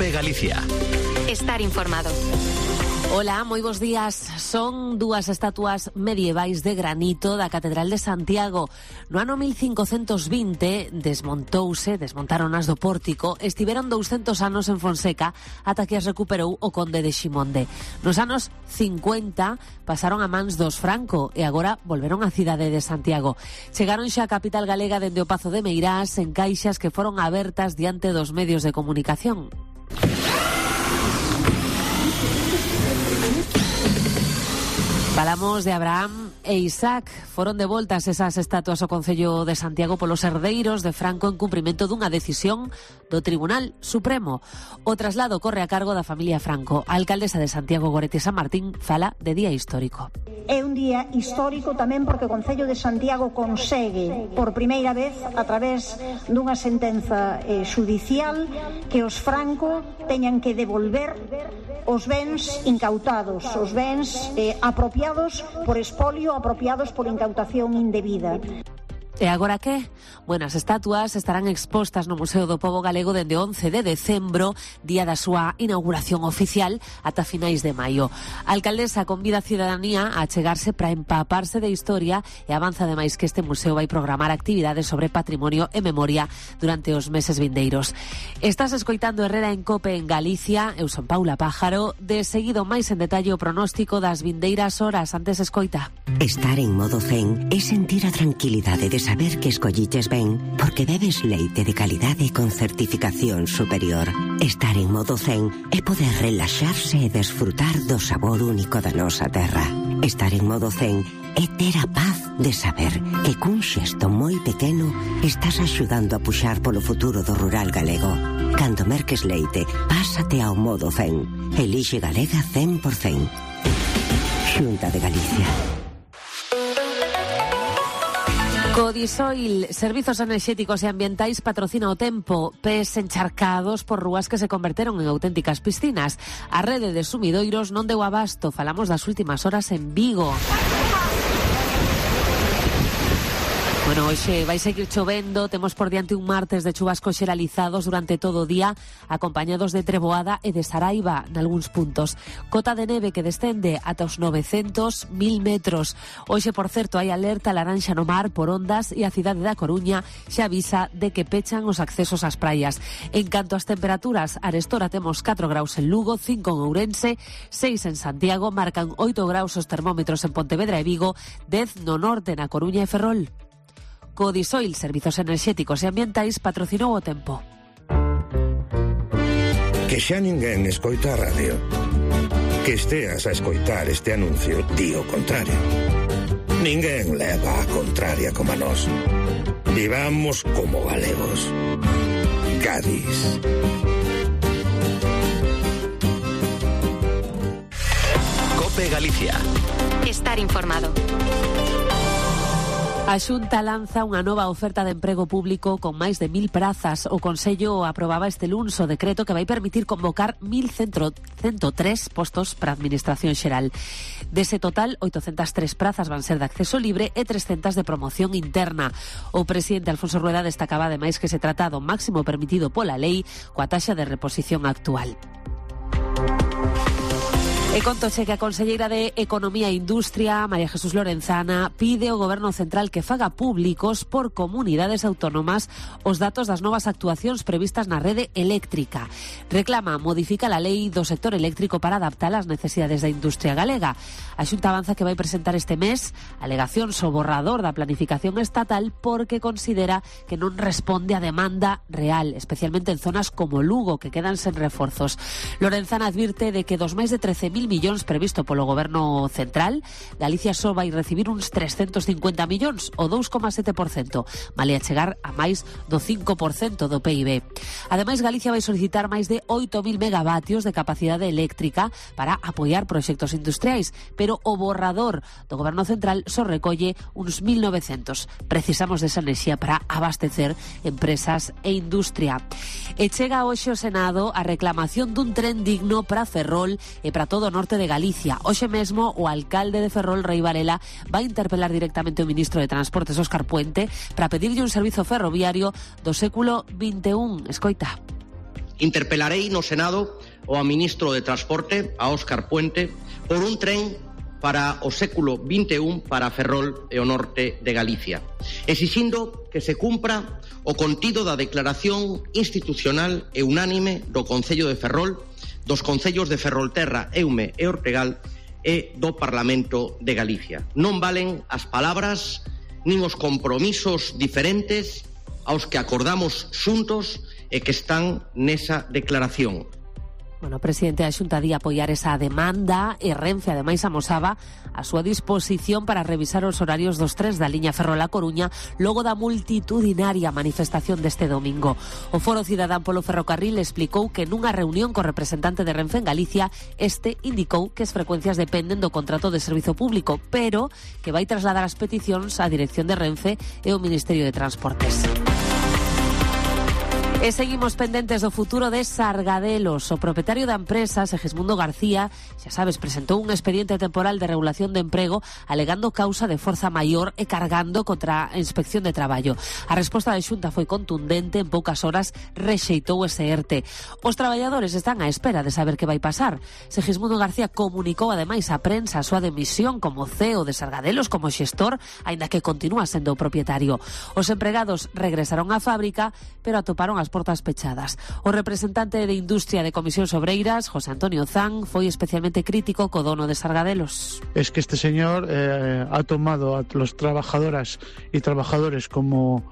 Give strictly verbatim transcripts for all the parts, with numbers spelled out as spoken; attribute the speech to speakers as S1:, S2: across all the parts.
S1: COPE Galicia.
S2: Estar informado.
S3: Ola, moi bons días. Son dúas estatuas medievais de granito da Catedral de Santiago. No ano mil cincocentos vinte desmontouse, desmontaron as do pórtico, estiveron douscentos anos en Fonseca ata que as recuperou o conde de Ximonde. Nos anos cincuenta pasaron a mans dos Franco e agora volveron á cidade de Santiago. Chegaron xa a capital galega dende o Pazo de Meirás en caixas que foron abertas diante dos medios de comunicación. Falamos de Abraham e Isaac. Foron devoltas esas estatuas ao Concello de Santiago polos herdeiros de Franco en cumprimento dunha decisión do Tribunal Supremo. O traslado corre a cargo da familia Franco. A alcaldesa de Santiago, Goretti San Martín, fala de día histórico.
S4: É un día histórico tamén porque o Concello de Santiago consegue por primeira vez a través dunha sentenza eh, judicial que os Franco teñan que devolver os bens incautados, os bens eh, apropiados por espolio, apropiados por incautación indebida.
S3: E agora que? Bueno, as estatuas estarán expostas no Museo do Pobo Galego dende once de decembro, día da súa inauguración oficial, ata finais de maio. A alcaldesa convida a cidadanía a achegarse para empaparse de historia e avanza ademais que este museo vai programar actividades sobre patrimonio e memoria durante os meses vindeiros. Estás escoitando Herrera en Cope en Galicia, eu son Paula Pájaro, de seguido máis en detalle o pronóstico das vindeiras horas. Antes escoita.
S5: Estar en modo zen é sentir a tranquilidade de saber que escolliches ben porque bebes leite de calidade con certificación superior. Estar en modo zen é poder relaxarse e desfrutar do sabor único da nosa terra. Estar en modo zen é ter a paz de saber que cun xesto moi pequeno estás axudando a puxar polo futuro do rural galego. Cando merques leite, pásate ao modo zen. Elixe Galega cen por cen. Xunta de Galicia.
S3: Codisoil, Servizos Enerxéticos e Ambientais, patrocina o tempo. Pés encharcados por rúas que se converteron en auténticas piscinas. A rede de sumidoiros non deu abasto. Falamos das últimas horas en Vigo. Bueno, hoxe vai seguir chovendo, temos por diante un martes de chuvascos xeralizados durante todo o día, acompañados de treboada e de saraiva nalgúns puntos. Cota de neve que descende ata os novecentos mil metros. Hoxe, por certo, hai alerta laranxa no mar por ondas e a cidade da Coruña xa avisa de que pechan os accesos ás praias. En canto ás temperaturas, arestora temos catro graus en Lugo, cinco en Ourense, seis en Santiago, marcan oito graus os termómetros en Pontevedra e Vigo, dez no norte, na Coruña e Ferrol. Codisoil, Servizos Enerxéticos e Ambientais, patrocinou o tempo.
S6: Que xa ninguén escoita a radio. Que esteas a escoitar este anuncio di o contrario. Ninguén leva a contraria como a nós. Vivamos como galegos. Gadis.
S1: COPE Galicia.
S2: Estar informado.
S3: A Xunta lanza unha nova oferta de emprego público con máis de mil prazas. O Consello aprobaba este luns o decreto que vai permitir convocar mil ciento tres postos para a Administración Xeral. Dese total, oitocentas tres prazas van ser de acceso libre e trescentas de promoción interna. O presidente Alfonso Rueda destacaba ademais que se trata do máximo permitido pola lei coa taxa de reposición actual. E contoche que a conselleira de Economía e Industria, María Jesús Lorenzana, pide ao Goberno Central que faga públicos por comunidades autónomas os datos das novas actuacións previstas na rede eléctrica. Reclama modificar a lei do sector eléctrico para adaptar as necesidades da industria galega. A Xunta avanza que vai presentar este mes alegacións ao borrador da planificación estatal porque considera que non responde á demanda real, especialmente en zonas como Lugo, que quedan sen reforzos. Lorenzana advirte de que dos máis de trece mil millóns previsto polo Goberno Central, Galicia só vai recibir uns trescentos cincuenta millóns, o dous coma sete por cento, malia chegar a máis do cinco por cento do P I B. Ademais, Galicia vai solicitar máis de oito mil megavatios de capacidade eléctrica para apoiar proxectos industriais, pero o borrador do Goberno Central só recolle uns mil novecentos. Precisamos desa enerxía para abastecer empresas e industria. E chega hoxe ao Senado a reclamación dun tren digno para Ferrol e para todo o norte de Galicia. Hoxe mesmo o alcalde de Ferrol, Rei Varela, vai interpelar directamente o ministro de Transportes, Óscar Puente, para pedirlle un servizo ferroviario do século vinte e un. Escoita.
S7: Interpelarei no Senado ao ministro de Transporte, a Óscar Puente, por un tren para o século vinte e un para Ferrol e o norte de Galicia, exixindo que se cumpra o contido da declaración institucional e unánime do Concello de Ferrol, dos Concellos de Ferrolterra, Eume e Ortegal e do Parlamento de Galicia. Non valen as palabras nin os compromisos diferentes aos que acordamos xuntos e que están nesa declaración.
S3: Bueno, o presidente da Xunta di apoiar esa demanda e Renfe ademais amosaba a súa disposición para revisar os horarios dos trens da liña Ferrol-A Coruña logo da multitudinaria manifestación deste domingo. O Foro Cidadán polo Ferrocarril explicou que nunha reunión co representante de Renfe en Galicia este indicou que as frecuencias dependen do contrato de servizo público, pero que vai trasladar as peticións á dirección de Renfe e ao Ministerio de Transportes. E seguimos pendentes do futuro de Sargadelos. O propietario da empresa, Segismundo García, xa sabes, presentou un expediente temporal de regulación de emprego alegando causa de forza maior e cargando contra a Inspección de Traballo. A resposta da Xunta foi contundente, en poucas horas rexeitou ese ERTE. Os traballadores están á espera de saber que vai pasar. Segismundo García comunicou ademais á prensa a súa demisión como C E O de Sargadelos, como xestor, aínda que continúa sendo o propietario. Os empregados regresaron á fábrica, pero atoparon as portas pechadas. O representante de Industria de Comisións Obreiras, José Antonio Zan, foi especialmente crítico co dono de Sargadelos.
S8: Es que este señor eh, ha tomado a los trabajadoras y trabajadores como,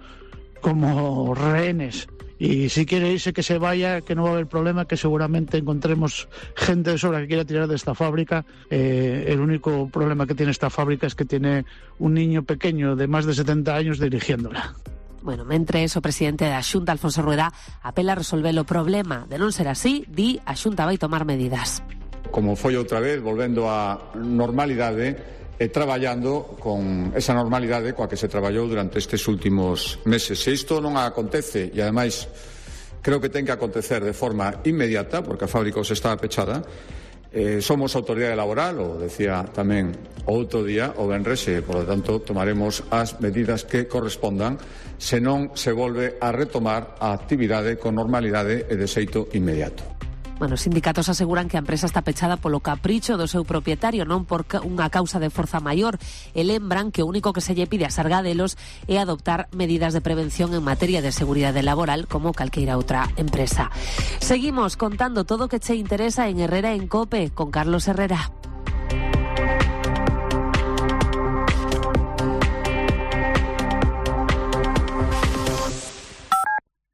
S8: como rehenes. Y si quiere irse, que se vaya, que no va a haber problema, que seguramente encontremos gente de sobra que quiera tirar de esta fábrica. Eh, el único problema que tiene esta fábrica es que tiene un niño pequeño de más de setenta años dirigiéndola.
S3: Bueno, mentres o presidente da Xunta, Alfonso Rueda, apela a resolver o problema. De non ser así, di, a Xunta vai tomar medidas.
S9: Como foi outra vez, volvendo á normalidade e traballando con esa normalidade coa que se traballou durante estes últimos meses. Se isto non acontece, e ademais creo que ten que acontecer de forma inmediata, porque a fábrica se está pechada, Eh, somos autoridade laboral, o decía tamén o outro día, o venres, e, por lo tanto, tomaremos as medidas que correspondan, se non se volve a retomar a actividade con normalidade e de xeito inmediato.
S3: Bueno, os sindicatos aseguran que a empresa está pechada polo capricho do seu propietario, non por unha causa de forza maior, e lembran que o único que se lle pide a Sargadelos é adoptar medidas de prevención en materia de seguridade laboral como calqueira outra empresa. Seguimos contando todo o que che interesa en Herrera en COPE con Carlos Herrera.